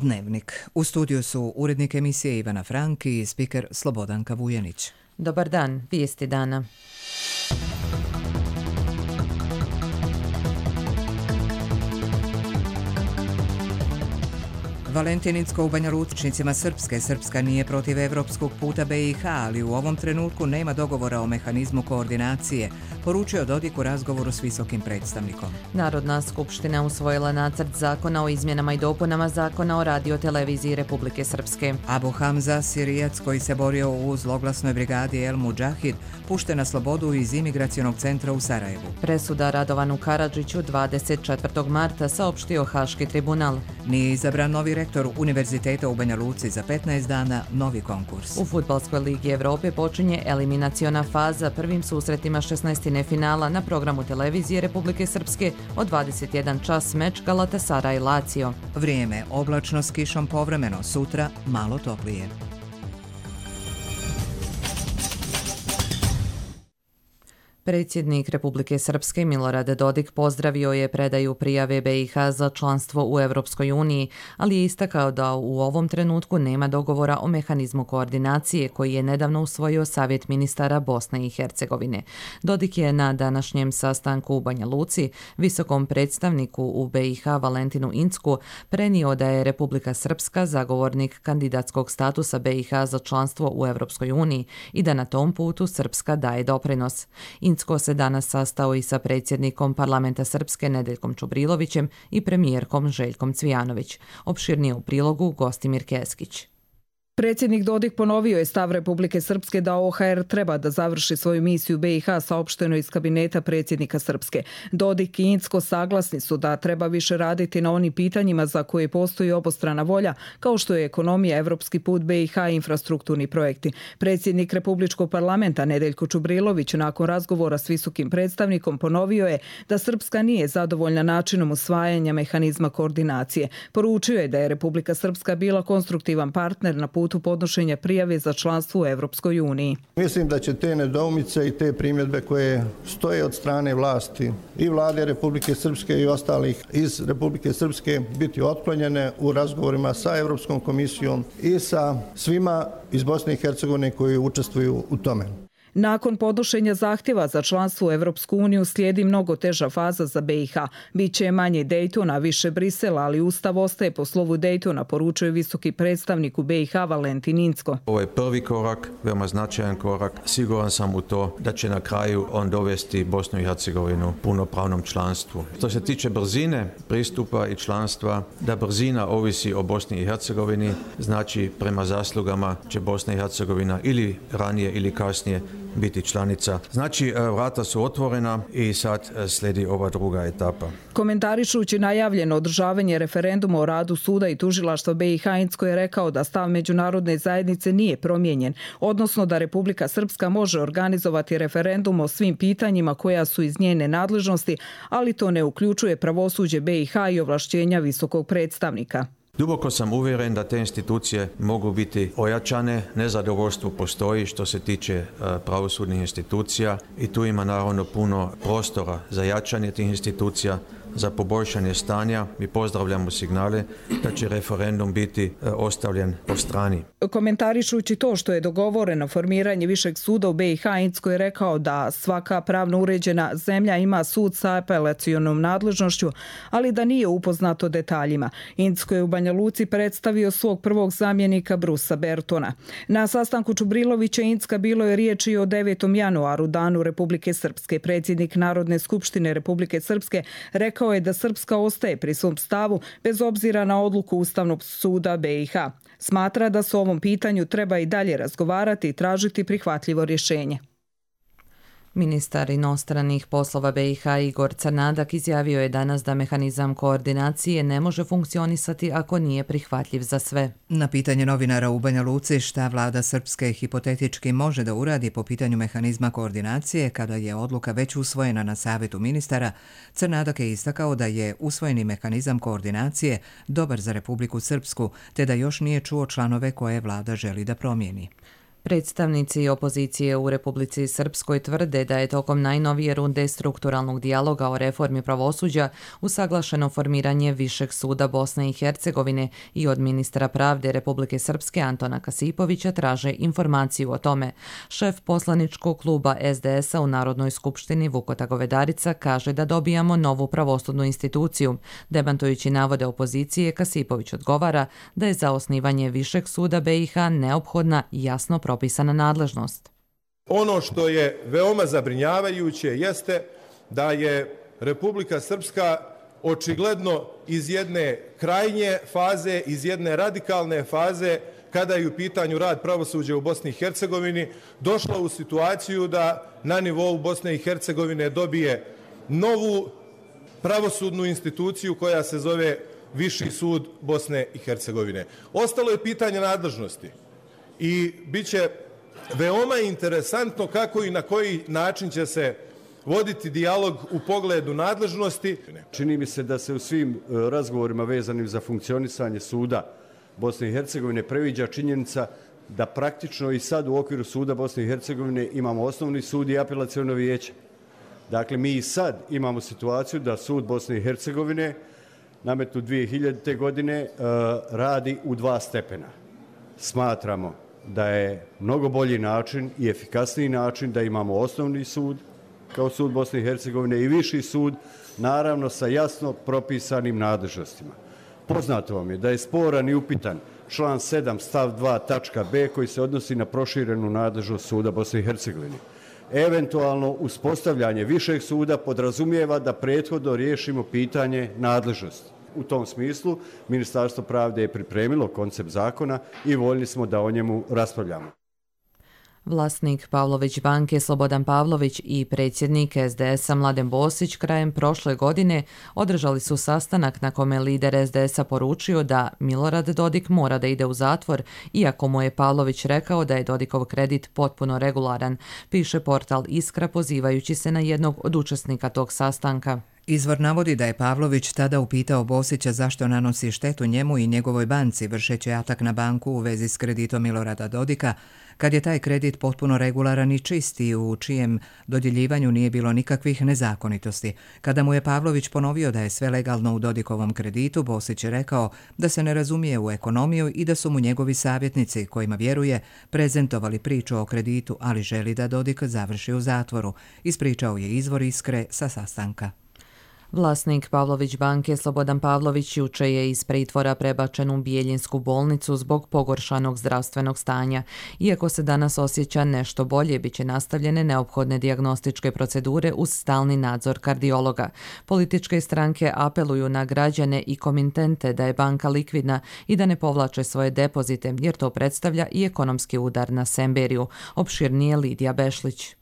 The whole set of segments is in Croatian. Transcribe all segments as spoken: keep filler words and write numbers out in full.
Dnevnik. U studiju su urednik emisije Ivana Frank i spiker Slobodanka Vujanić. Dobar dan, vijesti dana. Valentinicko u Banja Lučnicima Srpske. Srpska nije protiv evropskog puta B i H, ali u ovom trenutku nema dogovora o mehanizmu koordinacije, poručio Dodik u razgovoru s visokim predstavnikom. Narodna skupština usvojila nacrt zakona o izmjenama i dopunama zakona o radioteleviziji Republike Srpske. Abu Hamza, Sirijac koji se borio u zloglasnoj brigadi El Mudžahid, pušten na slobodu iz imigracionog centra u Sarajevu. Presuda Radovanu Karadžiću dvadeset četvrtog marta, saopštio Haški tribunal. Nije izabran novi rektor Univerziteta u Banja Luci, za petnaest dana novi konkurs. U Fudbalskoj ligi Evrope počinje eliminaciona faza prvim susretima šesnaestine finala na programu televizije Republike Srpske od dvadeset jedan čas meč Galatasaray Lazio. Vrijeme oblačno s kišom povremeno, sutra malo toplije. Predsjednik Republike Srpske Milorad Dodik pozdravio je predaju prijave B i H za članstvo u Europskoj uniji, ali je istakao da u ovom trenutku nema dogovora o mehanizmu koordinacije koji je nedavno usvojio Savjet ministara Bosne i Hercegovine. Dodik je na današnjem sastanku u Banja Luci visokom predstavniku u B i H Valentinu Incku prenio da je Republika Srpska zagovornik kandidatskog statusa B i H za članstvo u Europskoj uniji i da na tom putu Srpska daje doprinos. Incko se danas sastao i sa predsjednikom parlamenta Srpske Nedeljkom Čubrilovićem i premijerkom Željkom Cvijanović. Opširnije u prilogu Gostimir Keskić. Predsjednik Dodik ponovio je stav Republike Srpske da O H R treba da završi svoju misiju B i H, saopšteno iz kabineta predsjednika Srpske. Dodik i Incko saglasni su da treba više raditi na onim pitanjima za koje postoji obostrana volja, kao što je ekonomija, evropski put B i H i infrastrukturni projekti. Predsjednik Republičkog parlamenta Nedeljko Čubrilović nakon razgovora s visokim predstavnikom ponovio je da Srpska nije zadovoljna načinom usvajanja mehanizma koordinacije. Poručio je da je Republika Srpska bila konstruktivan partner na putu podnošenja prijave za članstvo u Evropskoj uniji. Mislim da će te nedoumice i te primjedbe koje stoje od strane vlasti i vlade Republike Srpske i ostalih iz Republike Srpske biti otklonjene u razgovorima sa Evropskom komisijom i sa svima iz Bosne i Hercegovine koji učestvuju u tome. Nakon podnošenja zahtjeva za članstvo u Evropsku uniju slijedi mnogo teža faza za B i H. Biće manje Dejtona, više Brisela, ali Ustav ostaje po slovu Dejtona, poručuje visoki predstavnik u B i H Valentin Incko. Ovo je prvi korak, veoma značajan korak. Siguran sam u to da će na kraju on dovesti Bosnu i Hercegovinu punopravnom članstvu. Što se tiče brzine pristupa i članstva, da brzina ovisi o Bosni i Hercegovini, znači prema zaslugama će Bosna i Hercegovina ili ranije ili kasnije biti članica. Znači, vrata su otvorena i sad slijedi ova druga etapa. Komentarišući najavljeno održavanje referenduma o radu suda i tužilaštva B i H, Incko je rekao da stav međunarodne zajednice nije promijenjen, odnosno da Republika Srpska može organizovati referendum o svim pitanjima koja su iz njene nadležnosti, ali to ne uključuje pravosuđe B i H i ovlašćenja visokog predstavnika. Duboko sam uvjeren da te institucije mogu biti ojačane, nezadovoljstvo postoji što se tiče pravosudnih institucija i tu ima naravno puno prostora za jačanje tih institucija, za poboljšanje stanja. Mi pozdravljamo signale da će referendum biti ostavljen po strani. Komentarišući to što je dogovoreno formiranje višeg suda u B i H, Incko je rekao da svaka pravno uređena zemlja ima sud sa apelacionom nadležnošću, ali da nije upoznato detaljima. Incko je u Banja Luci predstavio svog prvog zamjenika Brusa Bertona. Na sastanku Čubrilovića Incka bilo je riječi o devetom januaru, danu Republike Srpske. Predsjednik Narodne skupštine Republike Srpske rekao je da Srpska ostaje pri svom stavu bez obzira na odluku Ustavnog suda B i H. Smatra da se o ovom pitanju treba i dalje razgovarati i tražiti prihvatljivo rješenje. Ministar inostranih poslova B i H Igor Crnadak izjavio je danas da mehanizam koordinacije ne može funkcionisati ako nije prihvatljiv za sve. Na pitanje novinara u Banja Luci šta vlada Srpske hipotetički može da uradi po pitanju mehanizma koordinacije kada je odluka već usvojena na savjetu ministara, Crnadak je istakao da je usvojeni mehanizam koordinacije dobar za Republiku Srpsku, te da još nije čuo članove koje vlada želi da promijeni. Predstavnici opozicije u Republici Srpskoj tvrde da je tokom najnovije runde strukturalnog dijaloga o reformi pravosuđa usaglašeno formiranje Višeg suda Bosne i Hercegovine i od ministra pravde Republike Srpske Antona Kasipovića traže informaciju o tome. Šef poslaničkog kluba S D S-a u Narodnoj skupštini Vukota Govedarica kaže da dobijamo novu pravosudnu instituciju. Demantujući navode opozicije, Kasipović odgovara da je za osnivanje Višeg suda B i H neophodna jasno propisana nadležnost. Ono što je veoma zabrinjavajuće jeste da je Republika Srpska očigledno iz jedne krajnje faze, iz jedne radikalne faze, kada je u pitanju rad pravosuđa u Bosni i Hercegovini, došla u situaciju da na nivou Bosne i Hercegovine dobije novu pravosudnu instituciju koja se zove Viši sud Bosne i Hercegovine. Ostalo je pitanje nadležnosti. I bit će veoma interesantno kako i na koji način će se voditi dijalog u pogledu nadležnosti. Čini mi se da se u svim razgovorima vezanim za funkcionisanje suda Bosne i Hercegovine previđa činjenica da praktično i sad u okviru suda Bosne i Hercegovine imamo osnovni sud i apelaciono vijeće. Dakle, mi i sad imamo situaciju da sud Bosne i Hercegovine nametnut dvije hiljadite. godine radi u dva stepena. Smatramo da je mnogo bolji način i efikasniji način da imamo osnovni sud kao sud Bosne i Hercegovine i viši sud, naravno sa jasno propisanim nadležnostima. Poznato vam je da je sporan i upitan član sedam stav dva tačka b koji se odnosi na proširenu nadležnost suda Bosne i Hercegovine. Eventualno uspostavljanje višeg suda podrazumijeva da prethodno riješimo pitanje nadležnosti. U tom smislu Ministarstvo pravde je pripremilo koncept zakona i voljni smo da o njemu raspravljamo. Vlasnik Pavlović banke Slobodan Pavlović i predsjednik S D S-a Mladen Bosić krajem prošle godine održali su sastanak na kome lider S D S-a poručio da Milorad Dodik mora da ide u zatvor, iako mu je Pavlović rekao da je Dodikov kredit potpuno regularan, piše portal Iskra pozivajući se na jednog od učesnika tog sastanka. Izvor navodi da je Pavlović tada upitao Bosića zašto nanosi štetu njemu i njegovoj banci vršeći atak na banku u vezi s kreditom Milorada Dodika, kad je taj kredit potpuno regularan i čist i u čijem dodjeljivanju nije bilo nikakvih nezakonitosti. Kada mu je Pavlović ponovio da je sve legalno u Dodikovom kreditu, Bosić je rekao da se ne razumije u ekonomiju i da su mu njegovi savjetnici, kojima vjeruje, prezentovali priču o kreditu, ali želi da Dodik završi u zatvoru, ispričao je izvor Iskre sa sastanka. Vlasnik Pavlović banke Slobodan Pavlović juče je iz pritvora prebačen u Bijeljinsku bolnicu zbog pogoršanog zdravstvenog stanja. Iako se danas osjeća nešto bolje, bit će nastavljene neophodne dijagnostičke procedure uz stalni nadzor kardiologa. Političke stranke apeluju na građane i komitente da je banka likvidna i da ne povlače svoje depozite, jer to predstavlja i ekonomski udar na Semberiju. Opširnije Lidija Bešlić.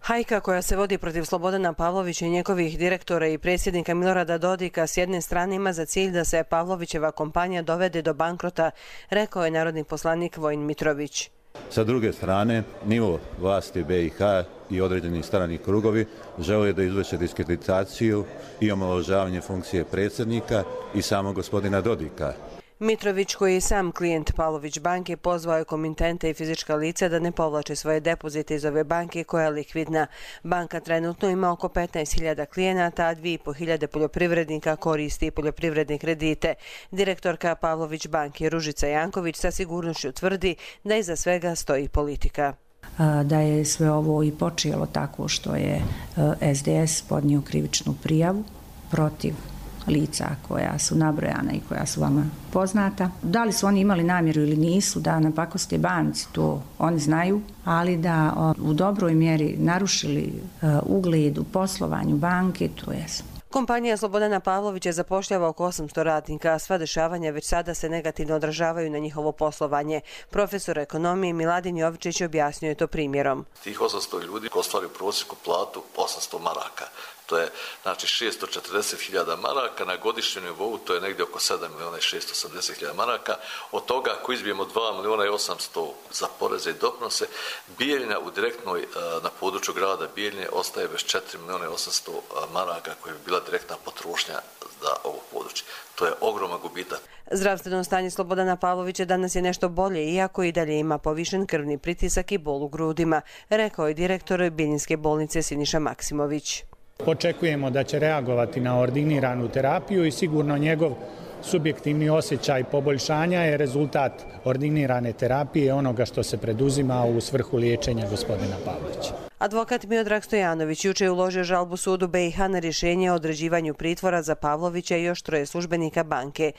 Hajka koja se vodi protiv Slobodana Pavlovića i njegovih direktora i predsjednika Milorada Dodika s jedne strane ima za cilj da se Pavlovićeva kompanija dovede do bankrota, rekao je narodni poslanik Vojin Mitrović. Sa druge strane, nivo vlasti B i H i određeni strani krugovi žele da izvrše diskreditaciju i omalovažavanje funkcije predsjednika i samog gospodina Dodika. Mitrović, koji je sam klijent Pavlović banke, pozvao je komitente i fizička lica da ne povlače svoje depozite iz ove banke koja je likvidna. Banka trenutno ima oko petnaest hiljada klijenata, a dvije i po hiljade poljoprivrednika koristi poljoprivredne kredite. Direktorka Pavlović banke Ružica Janković sa sigurnošću tvrdi da iza svega stoji politika. Da je sve ovo i počelo tako što je S D S podnio krivičnu prijavu protiv lica koja su nabrojana i koja su vama poznata. Da li su oni imali namjeru ili nisu da napakoste banci, to oni znaju, ali da u dobroj mjeri narušili ugled u poslovanju banke, to jesu. Kompanija Slobodana Pavlovića zapošljava oko osamsto radnika, a sva dešavanja već sada se negativno odražavaju na njihovo poslovanje. Profesor ekonomije Miladin Jovičić objasnio je to primjerom. Tih osamsto ljudi ostvaruju prosječnu platu osamsto maraka. To je znači šesto četrdeset hiljada maraka, na godišnjem nivou to je negdje oko sedam milijuna i šesto osamdeset hiljada maraka. Od toga ako izbijemo dva milijuna i osamsto za poreze i doprinose, Bijeljina u direktnoj na području grada Bijeljine ostaje bez četiri milijuna i osamsto maraka koja bi bila direktna potrošnja za ovo područje. To je ogroman gubitak. Zdravstveno stanje Slobodana Pavlovića danas je nešto bolje, iako i dalje ima povišen krvni pritisak i bol u grudima, rekao je direktor Bijeljinske bolnice Siniša Maksimović. Očekujemo da će reagovati na ordiniranu terapiju i sigurno njegov subjektivni osjećaj poboljšanja je rezultat ordinirane terapije onoga što se preduzima u svrhu liječenja gospodina Pavlovića. Advokat Miodrag Stojanović juče je uložio žalbu sudu B i H na rješenje o određivanju pritvora za Pavlovića i još troje službenika banke.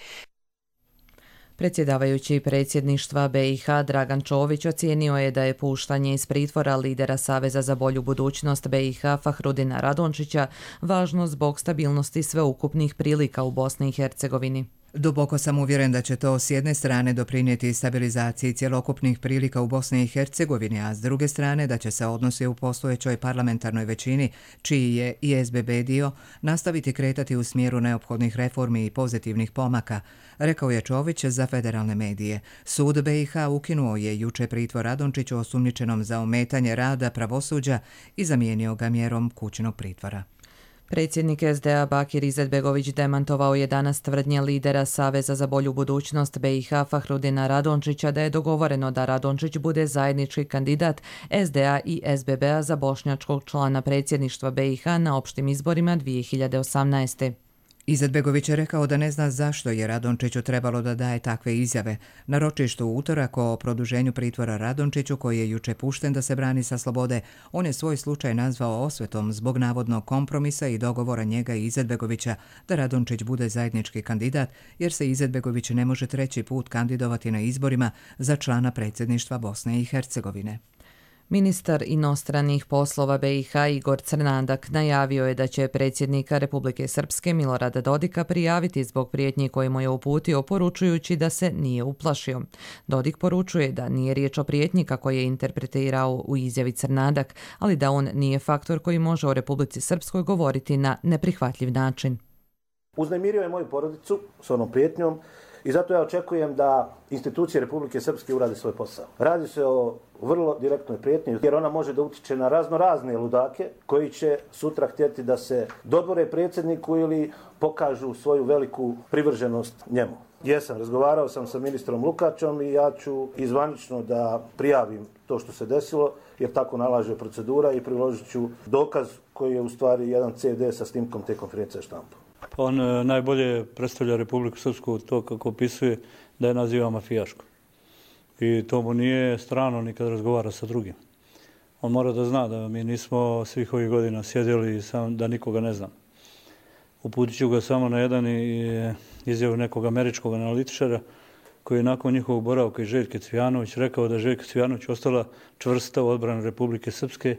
Predsjedavajući predsjedništva B i H Dragan Čović ocijenio je da je puštanje iz pritvora lidera Saveza za bolju budućnost B i H Fahrudina Radončića važno zbog stabilnosti sveukupnih prilika u Bosni i Hercegovini. Duboko sam uvjeren da će to s jedne strane doprinijeti stabilizaciji cjelokupnih prilika u Bosni i Hercegovini, a s druge strane da će se odnosi u postojećoj parlamentarnoj većini, čiji je i S B B dio, nastaviti kretati u smjeru neophodnih reformi i pozitivnih pomaka, rekao je Čović za federalne medije. Sud B i H ukinuo je juče pritvor Radončiću osumnjičenom za ometanje rada pravosuđa i zamijenio ga mjerom kućnog pritvora. Predsjednik S D A Bakir Izetbegović demantovao je danas tvrdnje lidera Saveza za bolju budućnost B i H Fahrudina Radončića da je dogovoreno da Radončić bude zajednički kandidat S D A i S B B-a za bošnjačkog člana predsjedništva B i H na opštim izborima dvije hiljade osamnaeste. Izetbegović je rekao da ne zna zašto je Radončiću trebalo da daje takve izjave. Na ročištu u utorak o produženju pritvora Radončiću, koji je juče pušten da se brani sa slobode, on je svoj slučaj nazvao osvetom zbog navodnog kompromisa i dogovora njega i Izetbegovića da Radončić bude zajednički kandidat, jer se Izetbegović ne može treći put kandidovati na izborima za člana predsjedništva Bosne i Hercegovine. Ministar inostranih poslova B i H Igor Crnadak najavio je da će predsjednika Republike Srpske Milorada Dodika prijaviti zbog prijetnji koje mu je uputio, poručujući da se nije uplašio. Dodik poručuje da nije riječ o prijetnji kako je interpretirao u izjavi Crnadak, ali da on nije faktor koji može o Republici Srpskoj govoriti na neprihvatljiv način. Uznemirio je moju porodicu s onom prijetnjom i zato ja očekujem da institucije Republike Srpske urade svoj posao. Radi se o vrlo direktnoj prijetnji, jer ona može da utiče na razno razne ludake koji će sutra htjeti da se dodvore predsjedniku ili pokažu svoju veliku privrženost njemu. Jesam, razgovarao sam sa ministrom Lukačom i ja ću izvanično da prijavim to što se desilo, jer tako nalaže procedura, i priložit ću dokaz koji je u stvari jedan C D sa snimkom te konferencije štampu. On najbolje predstavlja Republiku Srpsku to kako opisuje da je naziva mafijaško. I to mu nije strano ni kad razgovara sa drugim. On mora da zna da mi nismo svih ovih godina sjedili sam da nikoga ne znam. Uputit ću ga samo na jedan izjavu nekog američkog analitičara koji je nakon njihovog boravka i Željke Cvijanović rekao da je Željka Cvijanović ostala čvrsta u odbranu Republike Srpske,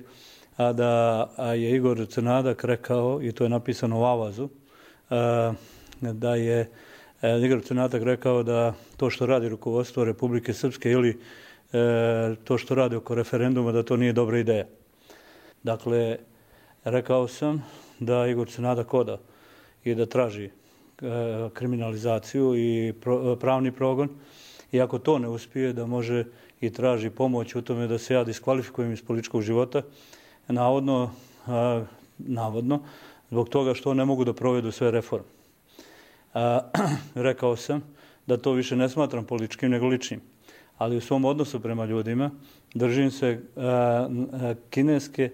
a da a je Igor Crnadak rekao, i to je napisano u Avazu, da je Igor Crnadak rekao da to što radi rukovodstvo Republike Srpske ili to što radi oko referenduma, da to nije dobra ideja. Dakle, rekao sam da Igor Crnadak oda i da traži kriminalizaciju i pravni progon, i ako to ne uspije, da može i traži pomoć u tome da se ja diskvalifikujem iz političkog života, navodno, navodno zbog toga što ne mogu da provedu sve reforme. A, rekao sam da to više ne smatram političkim nego ličnim, ali u svom odnosu prema ljudima držim se a, a, kineske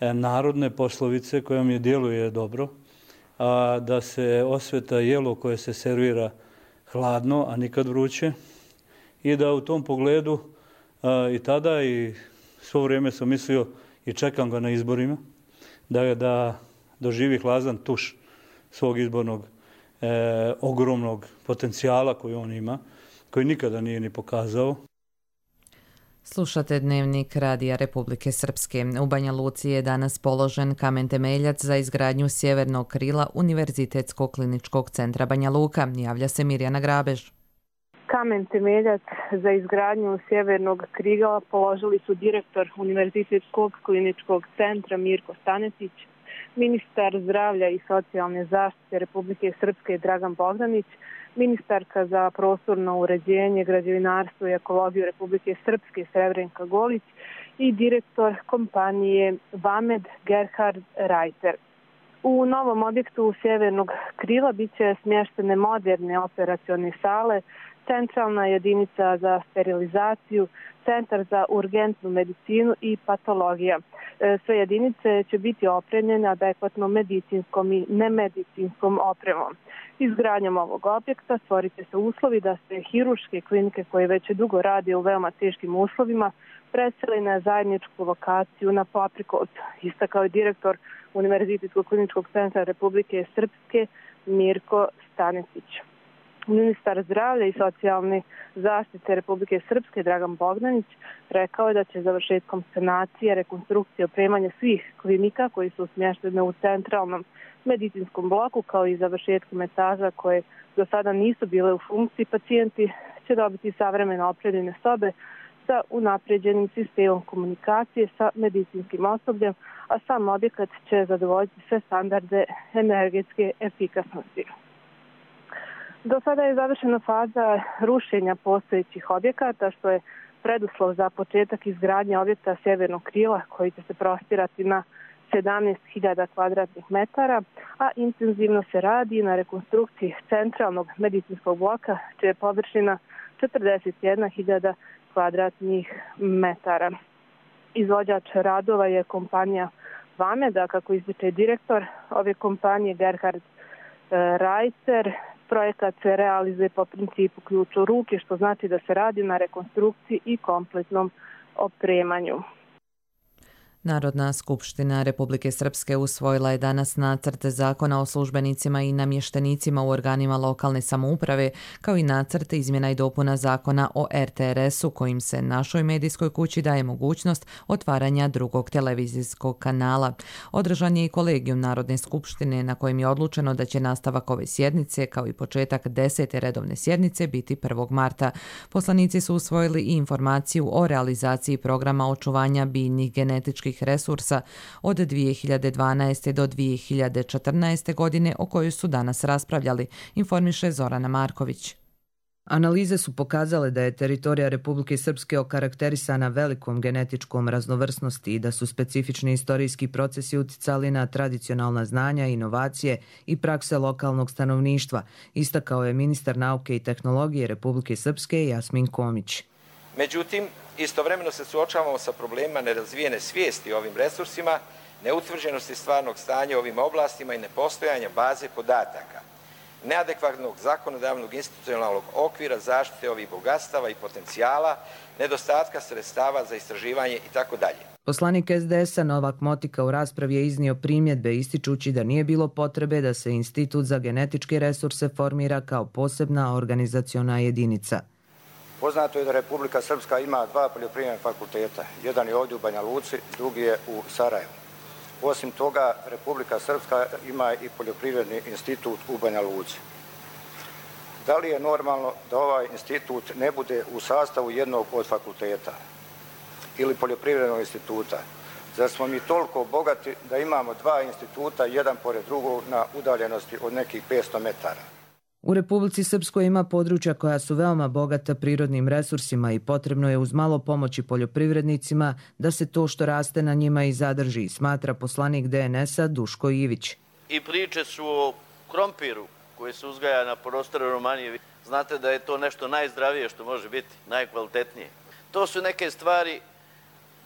a, narodne poslovice koja mi djeluje dobro, a, da se osveta jelo koje se servira hladno, a nikad vruće, i da u tom pogledu a, i tada i svo vrijeme sam mislio i čekam ga na izborima, da, da doživi hladan tuš svog izbornog e, ogromnog potencijala koji on ima, koji nikada nije ni pokazao. Slušate Dnevnik Radija Republike Srpske. U Banja Luci je danas položen kamen temeljac za izgradnju sjevernog krila Univerzitetskog kliničkog centra Banja Luka. Javlja se Mirjana Grabež. Kamen temeljac za izgradnju sjevernog krila položili su direktor Univerzitetskog kliničkog centra Mirko Stanetić, ministar zdravlja i socijalne zaštite Republike Srpske Dragan Bogdanić, ministarka za prostorno uređenje, građevinarstvo i ekologiju Republike Srpske Srebrenka Golić i direktor kompanije Vamed Gerhard Reiter. U novom objektu sjevernog krila bit će smještene moderne operacione sale, centralna jedinica za sterilizaciju, centar za urgentnu medicinu i patologija. Sve jedinice će biti opremljene adekvatno medicinskom i nemedicinskom opremom. Izgradnjom ovog objekta stvorit će se uslovi da se hiruške klinike koje već dugo rade u veoma teškim uslovima preseli na zajedničku lokaciju na Paprikovcu, istakao je direktor Univerzitetskog kliničkog centra Republike Srpske Mirko Stanetić. Ministar zdravlja i socijalne zaštite Republike Srpske Dragan Bogdanić rekao je da će završetkom sanacije, rekonstrukcije, opremanja svih klinika koji su smještene u centralnom medicinskom bloku kao i završetkom etaža koje do sada nisu bile u funkciji, pacijenti će dobiti savremeno opremljene sobe sa unapređenim sistemom komunikacije sa medicinskim osobljem, a sam objekat će zadovoljiti sve standarde energetske efikasnosti. Do sada je završena faza rušenja postojećih objekata, što je preduslov za početak izgradnje objekta sjevernog krila koji će se prostirati na sedamnaest hiljada kvadratnih metara, a intenzivno se radi na rekonstrukciji centralnog medicinskog bloka, čija je površina četrdeset jedna hiljada kvadratnih metara. Izvođač radova je kompanija Vameda, kako ističe direktor ove kompanije Gerhard Reiter. Projekat se realizuje po principu ključ u ruke, što znači da se radi na rekonstrukciji i kompletnom opremanju. Narodna skupština Republike Srpske usvojila je danas nacrt zakona o službenicima i namještenicima u organima lokalne samouprave, kao i nacrt izmjena i dopuna zakona o er te er esu, kojim se našoj medijskoj kući daje mogućnost otvaranja drugog televizijskog kanala. Održan je i kolegijum Narodne skupštine na kojem je odlučeno da će nastavak ove sjednice, kao i početak desete redovne sjednice, biti prvog marta. Poslanici su usvojili i informaciju o realizaciji programa očuvanja biljnih genetičkih resursa od dvije hiljade dvanaeste. do dvije hiljade četrnaeste. godine, o kojoj su danas raspravljali, informiše Zorana Marković. Analize su pokazale da je teritorija Republike Srpske okarakterisana velikom genetičkom raznovrsnosti i da su specifični istorijski procesi uticali na tradicionalna znanja, inovacije i prakse lokalnog stanovništva, istakao je ministar nauke i tehnologije Republike Srpske Jasmin Komić. Međutim, istovremeno se suočavamo sa problemima nerazvijene svijesti o ovim resursima, neutvrđenosti stvarnog stanja u ovim oblastima i nepostojanja baze podataka, neadekvatnog zakonodavnog institucionalnog okvira zaštite ovih bogatstava i potencijala, nedostatka sredstava za istraživanje itd. Poslanik es de esa Novak Motika u raspravi je iznio primjedbe ističući da nije bilo potrebe da se Institut za genetičke resurse formira kao posebna organizaciona jedinica. Poznato je da Republika Srpska ima dva poljoprivredna fakulteta. Jedan je ovdje u Banja Luci, drugi je u Sarajevu. Osim toga, Republika Srpska ima i poljoprivredni institut u Banja Luci. Da li je normalno da ovaj institut ne bude u sastavu jednog od fakulteta ili poljoprivrednog instituta? Zar smo mi toliko bogati da imamo dva instituta, jedan pored drugog, na udaljenosti od nekih petsto metara? U Republici Srpskoj ima područja koja su veoma bogata prirodnim resursima i potrebno je uz malo pomoći poljoprivrednicima da se to što raste na njima i zadrži, smatra poslanik de en esa Duško Ivić. I priče su o krompiru koji se uzgaja na prostoru Romanije. Znate da je to nešto najzdravije što može biti, najkvalitetnije. To su neke stvari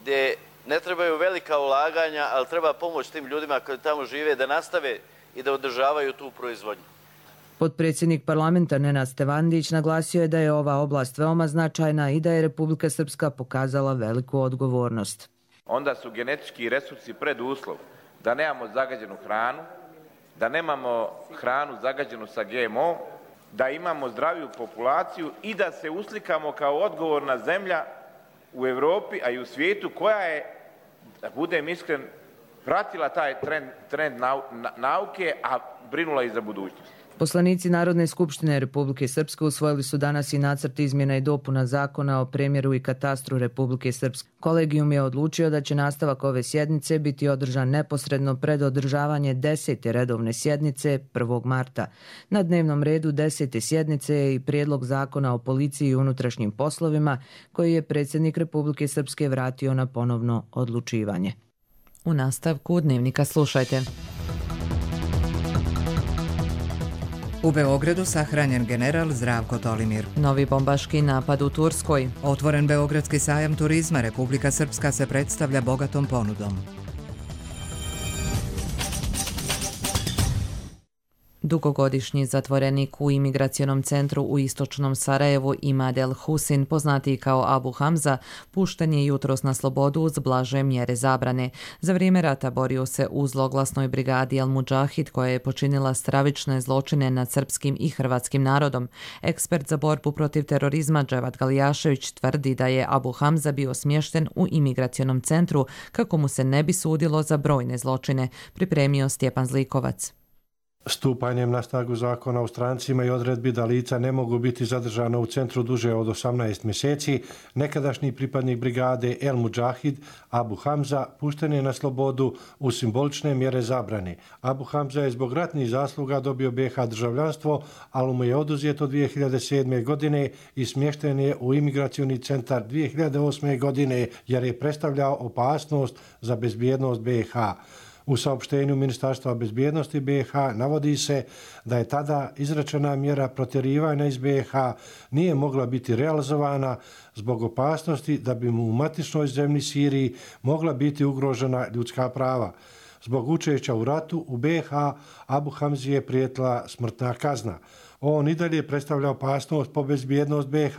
gdje ne trebaju velika ulaganja, ali treba pomoć tim ljudima koji tamo žive da nastave i da održavaju tu proizvodnju. Potpredsjednik parlamenta Nenad Stevandić naglasio je da je ova oblast veoma značajna i da je Republika Srpska pokazala veliku odgovornost. Onda su genetički resursi preduslov da nemamo zagađenu hranu, da nemamo hranu zagađenu sa ge em o, da imamo zdraviju populaciju i da se uslikamo kao odgovorna zemlja u Evropi, a i u svijetu koja je, da budem iskren, pratila taj trend, trend nau, nauke, a brinula i za budućnost. Poslanici Narodne skupštine Republike Srpske usvojili su danas i nacrt izmjena i dopuna zakona o premjeru i katastru Republike Srpske. Kolegijum je odlučio da će nastavak ove sjednice biti održan neposredno pred održavanje desete redovne sjednice prvog marta. Na dnevnom redu desete sjednice je i prijedlog zakona o policiji i unutrašnjim poslovima koji je predsjednik Republike Srpske vratio na ponovno odlučivanje. U nastavku dnevnika slušajte. U Beogradu sahranjen general Zdravko Tolimir. Novi bombaški napad u Turskoj. Otvoren Beogradski sajam turizma, Republika Srpska se predstavlja bogatom ponudom. Dugogodišnji zatvorenik u imigracionom centru u istočnom Sarajevu Imad El Husin, poznatiji kao Abu Hamza, pušten je jutros na slobodu uz blaže mjere zabrane. Za vrijeme rata borio se u zloglasnoj brigadi El Mudžahid koja je počinila stravične zločine nad srpskim i hrvatskim narodom. Ekspert za borbu protiv terorizma Dževad Galijašević tvrdi da je Abu Hamza bio smješten u imigracionom centru kako mu se ne bi sudilo za brojne zločine, pripremio Stjepan Zlikovac. Stupanjem na snagu zakona o strancima i odredbi da lica ne mogu biti zadržana u centru duže od osamnaest mjeseci, nekadašnji pripadnik brigade El Mudžahid Abu Hamza pušten je na slobodu u simbolične mjere zabrane. Abu Hamza je zbog ratnih zasluga dobio B iH državljanstvo, ali mu je oduzeto dvije hiljade sedme. godine i smješten je u imigracioni centar dvije hiljade osme. godine jer je predstavljao opasnost za bezbjednost B iH. U saopštenju Ministarstva bezbjednosti B iH navodi se da je tada izrečena mjera protjerivanja iz B iH nije mogla biti realizovana zbog opasnosti da bi mu u matičnoj zemlji Siriji mogla biti ugrožena ljudska prava. Zbog učešća u ratu u B iH Abu Hamzi je prijetila smrtna kazna. On i dalje predstavlja opasnost po bezbjednost B iH,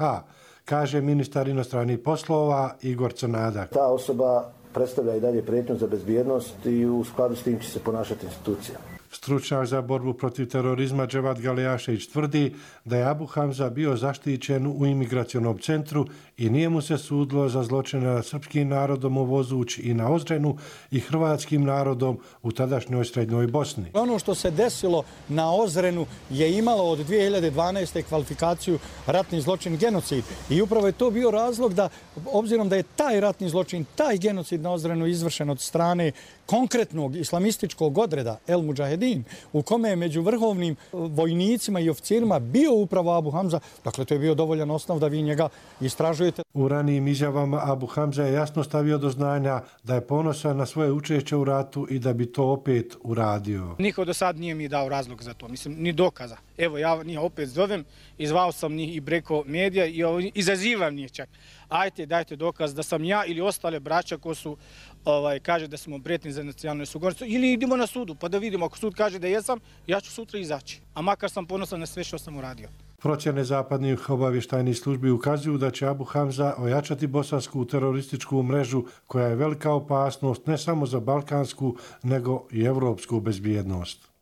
kaže ministar inostranih poslova Igor Crnadak. Ta osoba predstavlja i dalje prijetnju za bezbjednost i u skladu s tim će se ponašati institucija. Stručnjak za borbu protiv terorizma Dževad Galijašević tvrdi da je Abu Hamza bio zaštićen u imigracionom centru i nije mu se sudilo za zločine nad srpskim narodom u Vozuć i na Ozrenu i hrvatskim narodom u tadašnjoj Srednjoj Bosni. Ono što se desilo na Ozrenu je imalo od dvije hiljade dvanaeste. kvalifikaciju ratni zločin genocid i upravo je to bio razlog da, obzirom da je taj ratni zločin, taj genocid na Ozrenu izvršen od strane konkretnog islamističkog odreda El Mudžahedin, u kome je među vrhovnim vojnicima i oficirima bio upravo Abu Hamza, dakle to je bio dovoljan osnov da vi njega istražujete. U ranijim izjavama Abu Hamza je jasno stavio do znanja da je ponosan na svoje učešće u ratu i da bi to opet uradio. Niko do sad nije mi dao razlog za to, mislim, ni dokaza. Evo, ja njih opet zovem, izvao sam njih i preko medija i izazivam njih čak. Ajte, dajte dokaz da sam ja ili ostale braća ko su, ovaj, kaže da smo prijetni za nacionalnu sigurnost, ili idemo na sudu pa da vidimo, ako sud kaže da jesam, ja ću sutra izaći. A makar sam ponosan na sve što sam uradio. Procjene zapadnih obavještajnih službi ukazuju da će Abu Hamza ojačati bosansku terorističku mrežu koja je velika opasnost ne samo za balkansku nego i evropsku bezbjednost.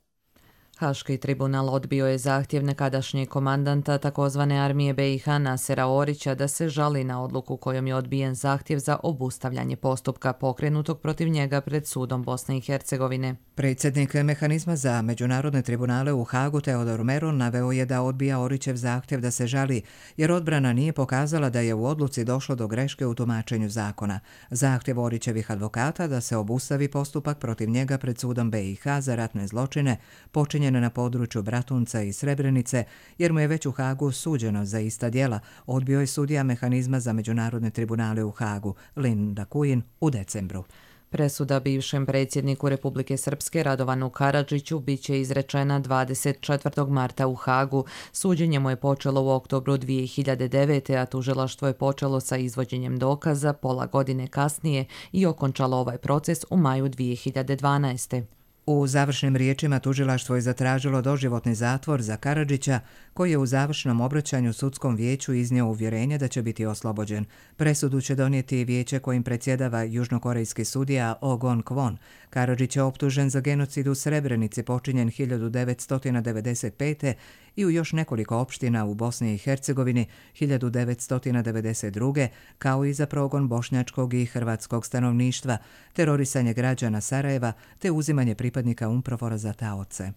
Haški tribunal odbio je zahtjev nekadašnjeg komandanta takozvane armije B iH Nasera Orića da se žali na odluku kojom je odbijen zahtjev za obustavljanje postupka pokrenutog protiv njega pred sudom Bosne i Hercegovine. Predsjednik mehanizma za međunarodne tribunale u Hagu Teodor Meron naveo je da odbija Orićev zahtjev da se žali, jer odbrana nije pokazala da je u odluci došlo do greške u tumačenju zakona. Zahtjev Orićevih advokata da se obustavi postupak protiv njega pred sudom B iH za ratne zločine počinjen na području Bratunca i Srebrenice, jer mu je već u Hagu suđeno za ista djela, odbio je sudija mehanizma za međunarodne tribunale u Hagu, Linda Kujin, u decembru. Presuda bivšem predsjedniku Republike Srpske Radovanu Karadžiću bit će izrečena dvadeset četvrtog marta u Hagu. Suđenje mu je počelo u oktobru dvije hiljade devete. a tužilaštvo je počelo sa izvođenjem dokaza pola godine kasnije i okončalo ovaj proces u maju dvije hiljade dvanaeste. U završnim riječima tužilaštvo je zatražilo doživotni zatvor za Karadžića, koji je u završnom obraćanju sudskom vijeću iznio uvjerenje da će biti oslobođen. Presudu će donijeti vijeće kojim predsjedava južnokorejski sudija Oh Gon-kwon. Karadžić je optužen za genocid u Srebrenici počinjen hiljadu devetsto devedeset pete. i u još nekoliko opština u Bosni i Hercegovini hiljadu devetsto devedeset druge. kao i za progon bošnjačkog i hrvatskog stanovništva, terorisanje građana Sarajeva te uzimanje pripadnika UNPROFOR-a za taoce.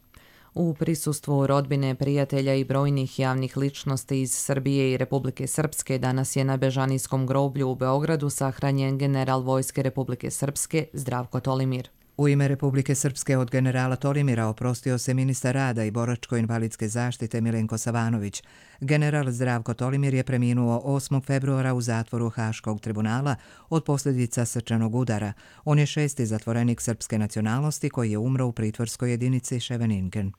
U prisustvu rodbine, prijatelja i brojnih javnih ličnosti iz Srbije i Republike Srpske danas je na Bežanijskom groblju u Beogradu sahranjen general Vojske Republike Srpske Zdravko Tolimir. U ime Republike Srpske od generala Tolimira oprostio se ministar rada i boračko-invalidske zaštite Milenko Savanović. General Zdravko Tolimir je preminuo osmog februara u zatvoru Haškog tribunala od posljedica srčanog udara. On je šesti zatvorenik srpske nacionalnosti koji je umro u pritvorskoj jedinici Scheveningen.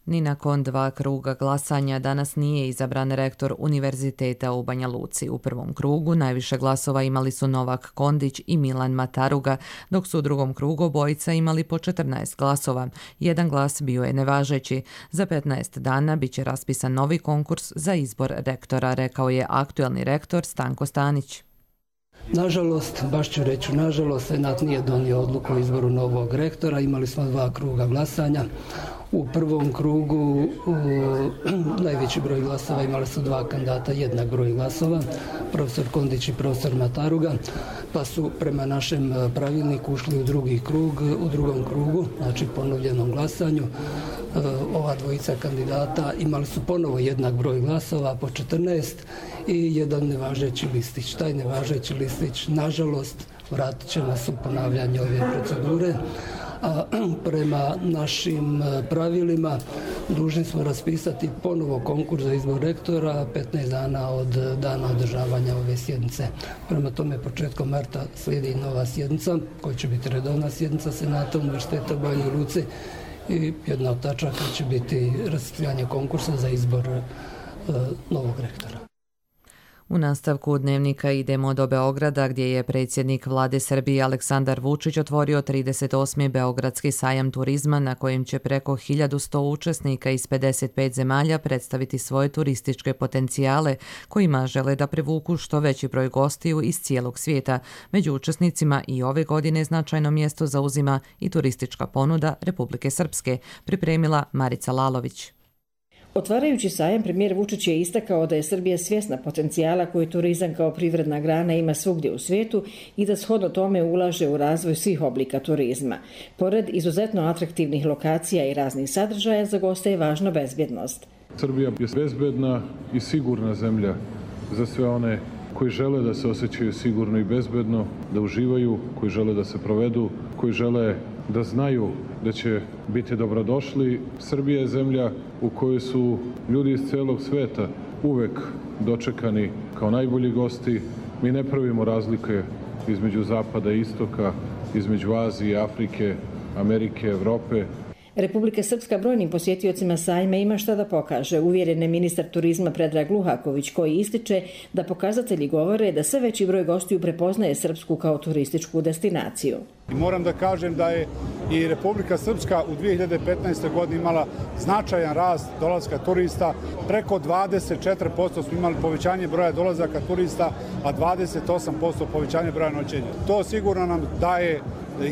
Ni nakon dva kruga glasanja danas nije izabran rektor Univerziteta u Banja Luci. U prvom krugu najviše glasova imali su Novak Kondić i Milan Mataruga, dok su u drugom krugu obojica imali po četrnaest glasova. Jedan glas bio je nevažeći. Za petnaest dana biće raspisan novi konkurs za izbor rektora, rekao je aktuelni rektor Stanko Stanić. Nažalost, baš ću reći, nažalost, Senat nije donio odluku o izboru novog rektora. Imali smo dva kruga glasanja. U prvom krugu u, najveći broj glasova imali su dva kandidata, jednak broj glasova, profesor Kondić i profesor Mataruga, pa su prema našem pravilniku ušli u drugi krug, u drugom krugu, znači ponovljenom glasanju. Ova dvojica kandidata imali su ponovo jednak broj glasova, po četrnaest, i jedan nevažeći listić. Taj nevažeći listić, nažalost, vratit će nas u ponavljanje ove procedure. A prema našim pravilima dužni smo raspisati ponovo konkurs za izbor rektora petnaest dana od dana održavanja ove sjednice. Prema tome, početkom marta slijedi nova sjednica, koja će biti redovna sjednica Senata Univerziteta u Banjoj Luci, i jedna od tačaka će biti raspisivanje konkursa za izbor e, novog rektora. U nastavku dnevnika idemo do Beograda, gdje je predsjednik vlade Srbije Aleksandar Vučić otvorio trideset osmi Beogradski sajam turizma, na kojem će preko hiljadu sto učesnika iz pedeset pet zemalja predstaviti svoje turističke potencijale, kojima žele da privuku što veći broj gostiju iz cijelog svijeta. Među učesnicima i ove godine značajno mjesto zauzima i turistička ponuda Republike Srpske, pripremila Marica Lalović. Otvarajući sajam, premijer Vučić je istakao da je Srbija svjesna potencijala koji turizam kao privredna grana ima svugdje u svijetu i da shodno tome ulaže u razvoj svih oblika turizma. Pored izuzetno atraktivnih lokacija i raznih sadržaja, za goste je važna bezbjednost. Srbija je bezbedna i sigurna zemlja za sve one koji žele da se osjećaju sigurno i bezbedno, da uživaju, koji žele da se provedu, koji žele da znaju da će biti dobrodošli. Srbija je zemlja u kojoj su ljudi iz celog sveta uvek dočekani kao najbolji gosti. Mi ne pravimo razlike između zapada i istoka, između Azije, Afrike, Amerike, Evrope. Republika Srpska brojnim posjetiocima sajma ima šta da pokaže, uvjeren je ministar turizma Predrag Luhaković, koji ističe da pokazatelji govore da sve veći broj gostiju prepoznaje Srpsku kao turističku destinaciju. I moram da kažem da je i Republika Srpska u dvije hiljade petnaestoj. godini imala značajan rast dolaska turista. Preko dvadeset četiri posto smo imali povećanje broja dolazaka turista, a dvadeset osam posto povećanje broja noćenja. To sigurno nam daje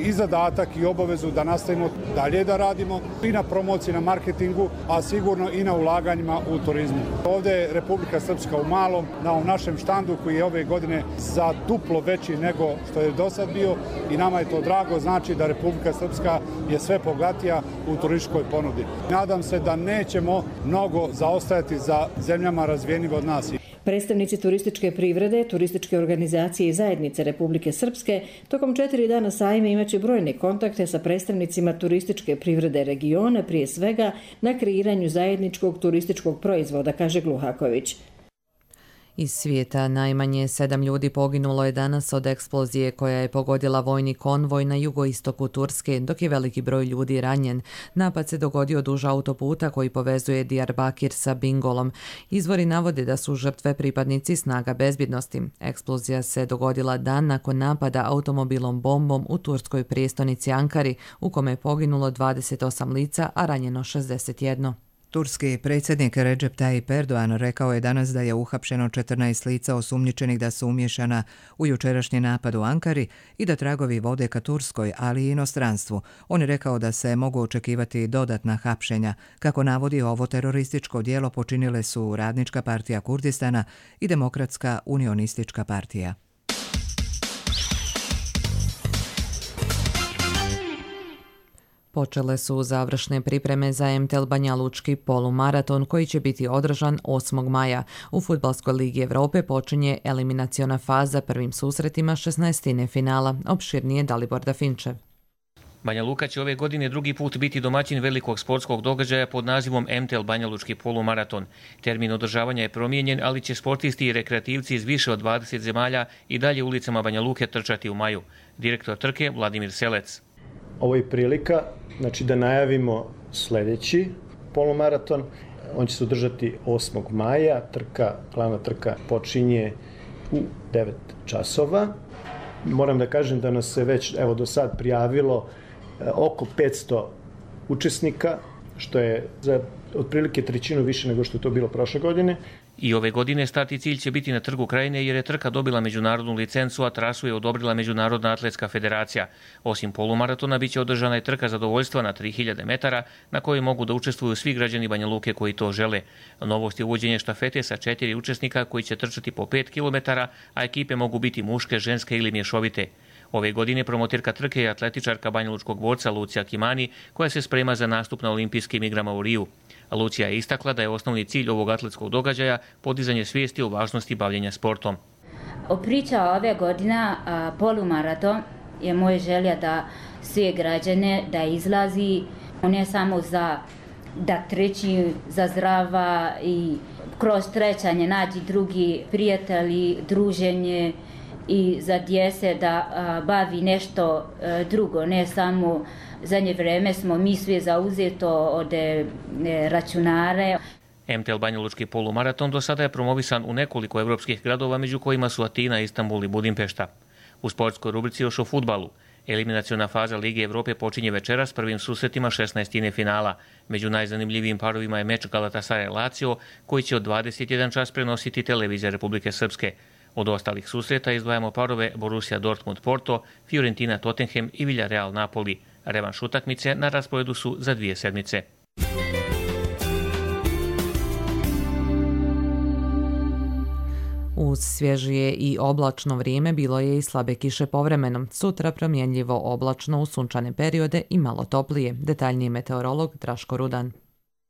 i zadatak i obavezu da nastavimo dalje da radimo i na promociji, na marketingu, a sigurno i na ulaganjima u turizmu. Ovdje je Republika Srpska u malom, na ovom našem štandu koji je ove godine za duplo veći nego što je do sad bio, i nama je to drago, znači da Republika Srpska je sve bogatija u turističkoj ponudi. Nadam se da nećemo mnogo zaostajati za zemljama razvijenim od nas. Predstavnici turističke privrede, turističke organizacije i zajednice Republike Srpske tokom četiri dana sajma imaće brojne kontakte sa predstavnicima turističke privrede regiona, prije svega na kreiranju zajedničkog turističkog proizvoda, kaže Gluhaković. Iz svijeta najmanje sedam ljudi poginulo je danas od eksplozije koja je pogodila vojni konvoj na jugoistoku Turske, dok je veliki broj ljudi ranjen. Napad se dogodio duž autoputa koji povezuje Diyarbakir sa Bingolom. Izvori navode da su žrtve pripadnici snaga bezbjednosti. Eksplozija se dogodila dan nakon napada automobilom bombom u turskoj prijestolnici Ankari, u kome je poginulo dvadeset osam lica, a ranjeno šezdeset jedan. Turski predsjednik Recep Tayyip Erdogan rekao je danas da je uhapšeno četrnaest lica osumnjičenih da su umješana u jučerašnji napad u Ankari i da tragovi vode ka Turskoj, ali i inostranstvu. On je rekao da se mogu očekivati dodatna hapšenja. Kako navodi, ovo terorističko djelo počinile su Radnička partija Kurdistana i Demokratska unionistička partija. Počele su završne pripreme za M T L Banja Lučki polumaraton koji će biti održan osmog maja. U Fudbalskoj ligi Evrope počinje eliminaciona faza prvim susretima šesnaestine finala. Opširnije Dalibor Dafinčev. Banja Luka će ove godine drugi put biti domaćin velikog sportskog događaja pod nazivom M T L Banja Lučki polumaraton. Termin održavanja je promijenjen, ali će sportisti i rekreativci iz više od dvadeset zemalja i dalje ulicama Banja Luke trčati u maju. Direktor trke Vladimir Selec. Ovo je prilika znači, da najavimo sljedeći polumaraton. On će se održati osmog maja. Trka, glavna trka počinje u devet časova. Moram da kažem da nas se već evo, do sad prijavilo oko petsto učesnika, što je za otprilike trećinu više nego što je to bilo prošle godine. I ove godine start i cilj će biti na Trgu Krajine jer je trka dobila međunarodnu licencu, a trasu je odobrila Međunarodna atletska federacija. Osim polumaratona biće održana i trka zadovoljstva na tri hiljade metara na kojoj mogu da učestvuju svi građani Banja Luke koji to žele. Novost je uvođenje štafete sa četiri učesnika koji će trčati po pet kilometara, a ekipe mogu biti muške, ženske ili mješovite. Ove godine promotirka trke je atletičarka banjalučkog borca Lucija Kimani koja se sprema za nastup na olimpijskim igrama u Riju. Lucija je istakla da je osnovni cilj ovog atletskog događaja podizanje svijesti o važnosti bavljenja sportom. Priča ove godine polumaraton je moja želja da sve građane da izlazi ne samo za da treći za zdrava i kroz trećanje nađi drugi prijatelji, druženje i za djece da a, bavi nešto a, drugo, ne samo zadnje vreme smo mi svi zauzeto od e, računare. M T L Banja Lučki polumaraton do sada je promovisan u nekoliko evropskih gradova, među kojima su Atina, Istanbul i Budimpešta. U sportskoj rubrici još o fudbalu. Eliminaciona faza Lige Evrope počinje večeras prvim susretima šesnaestine finala. Među najzanimljivijim parovima je meč Galatasaray-Lazio, koji će od dvadeset jedan čas prenositi televizija Republike Srpske. Od ostalih susreta izdvajamo parove Borussia Dortmund-Porto, Fiorentina-Tottenham i Villarreal-Napoli. Revanš utakmice na rasporedu su za dvije sedmice. Uz svježije i oblačno vrijeme bilo je i slabe kiše povremeno. Sutra promjenljivo oblačno u sunčane periode i malo toplije. Detaljniji meteorolog Draško Rudan.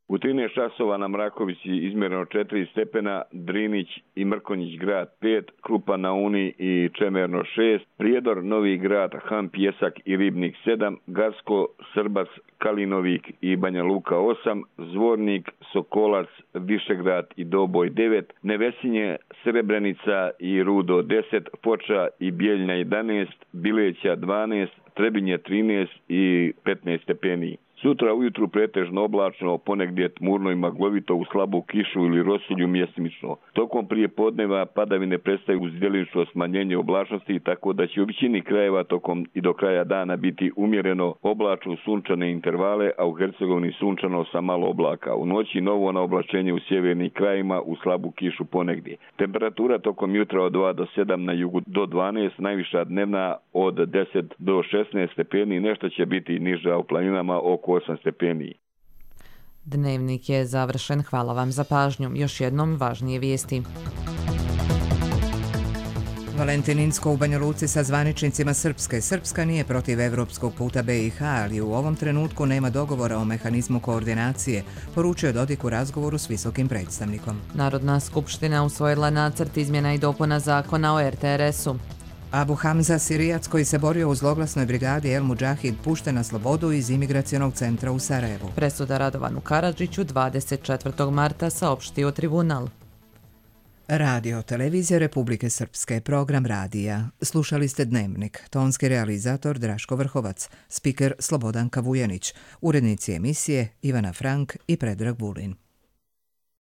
U trinaest časova na Mrakovici izmjereno četiri stepena, Drinić i Mrkonjić grad pet, Krupa na Uni i Čemerno šest, Prijedor, Novi grad, Han, Pjesak i Ribnik sedam, Garsko, Srbac, Kalinovik i Banja Luka osam, Zvornik, Sokolac, Višegrad i Doboj devet, Nevesinje, Srebrenica i Rudo deset, Foča i Bijeljna jedanaest, Bileća dvanaest, Trebinje trinaest i petnaest stepeni. Sutra ujutru pretežno oblačno, ponegdje tmurno i maglovito u slabu kišu ili rosulju mjestimično. Tokom prije podneva padavine prestaju uz djelimično smanjenje oblačnosti, tako da će u većini krajeva tokom i do kraja dana biti umjereno oblačno sunčane intervale, a u Hercegovini sunčano sa malo oblaka. U noći novo na oblačenje u sjevernim krajima u slabu kišu ponegdje. Temperatura tokom jutra od dva do sedam, na jugu do dvanaest, najviša dnevna od deset do šesnaest stepeni, nešto će biti niža u planinama oko osam stepeni. Dnevnik je završen. Hvala vam za pažnju. Još jednom važnije vijesti. Valentininsko u Banja Luci sa zvaničnicima Srpske. Srpska nije protiv evropskog puta B i H, ali u ovom trenutku nema dogovora o mehanizmu koordinacije, poručio Dodik u razgovoru s visokim predstavnikom. Narodna skupština usvojila nacrt izmjena i dopuna zakona o R T R S-u. Abu Hamza, Sirijac koji se borio u zloglasnoj brigadi El Mudžahid, pušten na slobodu iz imigracionog centra u Sarajevu. Presuda Radovanu Karadžiću dvadeset četvrtog marta saopštio tribunal. Radio Televizija Republike Srpske, program radija. Slušali ste Dnevnik, tonski realizator Draško Vrhovac, spiker Slobodan Kavujanić, urednici emisije Ivana Frank i Predrag Vulin.